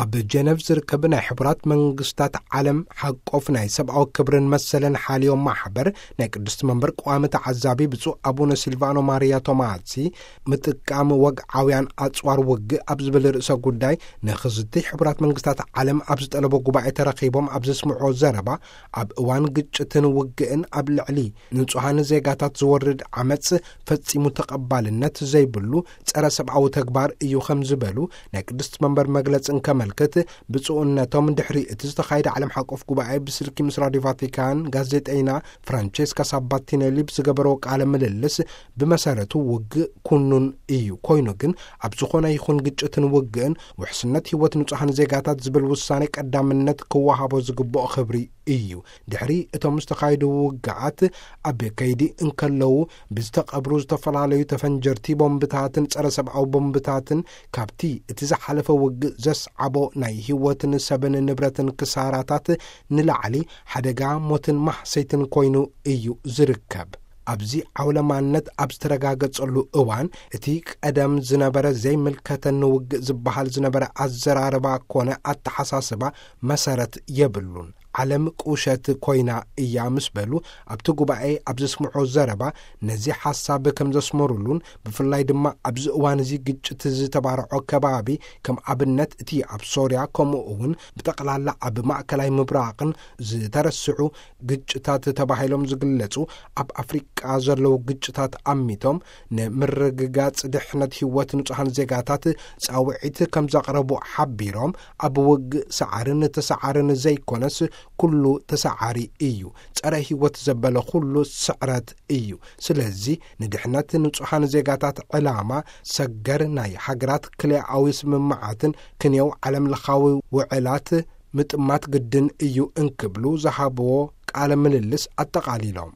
ኣብ ጀነቭ ዝርከብ ናይ ሕቡራት መንግስታት ዓለም ሓቆፍ ናይ ሰብኣዊ ክብርን መሰልን ሓልዮ ማሕበር ናይ ቅድስቲ መንበር ቀዋሚ ተዓዛቢ ብፁዕ ኣቡነ ሲልቫኖ ማሪያ ቶማሲ፣ ምጥቃም ወግዓውያን ኣጽዋር ውግእ ኣብ ዝብል ርእሰ ጉዳይ ንኽዝቲ ሕቡራት መንግስታት ዓለም ኣብ ዝጠለቦ ጉባኤ ተረኺቦም ኣብ ዘስምዖ ዘረባ፣ ኣብ እዋን ግጭትን ውግእን ኣብ ልዕሊ ንጹሃን ዜጋታት ዝወርድ ዓመጽ ፈጺሙ ተቐባልነት ዘይብሉ ጸረ ሰብኣዊ ተግባር እዩ ከም ዝበሉ ናይ ቅድስቲ መንበር መግለጽ እንከመልክት፣ ብፁዕነቶም ድሕሪ እቲ ዝተኻየደ ዓለም ሓቆፍ ጉባኤ ብስልኪ ምስ ራዲዮ ቫቲካን ጋዜጠይና ፍራንቼስካ ሳባቲኔሊ ብዝገበረዎ ቃለ ምልልስ፣ ብመሰረቱ ውግእ ኩኑን እዩ። ኮይኑ ግን ኣብ ዝኾነ ይኹን ግጭትን ውግእን ውሕስነት ህይወት ንጹሃን ዜጋታት ዝብል ውሳኔ ቀዳምነት ክወሃቦ ዝግብኦ ክብሪ እዩ። ድሕሪ እቶም ዝተኻየዱ ውግኣት ኣብ ከይዲ እንከለዉ ብዝተቐብሩ ዝተፈላለዩ ተፈንጀርቲ ቦምብታትን ጸረ ሰብኣዊ ቦምብታትን ካብቲ እቲ ዝሓለፈ ውግእ ዘስዓቦ ናይ ህይወትን ሰብን ንብረትን ክሳራታት ንላዕሊ ሓደጋ ሞትን ማህሰይትን ኮይኑ እዩ ዝርከብ። ኣብዚ ዓውለማነት ኣብ ዝተረጋገጸሉ እዋን እቲ ቀደም ዝነበረ ዘይምልከተኒ ውግእ ዝበሃል ዝነበረ ኣዘራርባ ኮነ ኣተሓሳስባ መሰረት የብሉን። ዓለም ቁሸት ኮይና እያ ምስ በሉ ኣብቲ ጉባኤ ኣብ ዘስምዖ ዘረባ ነዚ ሓሳብ ከም ዘስመሩሉን ብፍላይ ድማ ኣብዚ እዋን እዚ ግጭት ዝተባርዖ ከባቢ ከም ኣብነት እቲ ኣብ ሶርያ ከምኡ እውን ብጠቕላላ ኣብ ማእከላይ ምብራቕን ዝተረስዑ ግጭታት ተባሂሎም ዝግለጹ ኣብ ኣፍሪቃ ዘለዉ ግጭታት ኣሚቶም ንምርግጋጽ ድሕነት ህይወት ንጹሃን ዜጋታት ጻውዒት ከም ዘቕረቡ ሓቢሮም ኣብ ውግእ ሰዓርን ተሰዓርን ዘይኮነስ ኩሉ ተሰዓሪ እዩ። ጸረ ህይወት ዘበለ ኩሉ ስዕረት እዩ። ስለዚ ንድሕነት ንጹሃን ዜጋታት ዕላማ ሰገር ናይ ሃገራት ክልኣዊ ስምምዓትን ክንየው ዓለም ለኻዊ ውዕላት ምጥማት ግድን እዩ እንክብሉ ዝሃብዎ ቃለ ምልልስ ኣጠቓሊሎም።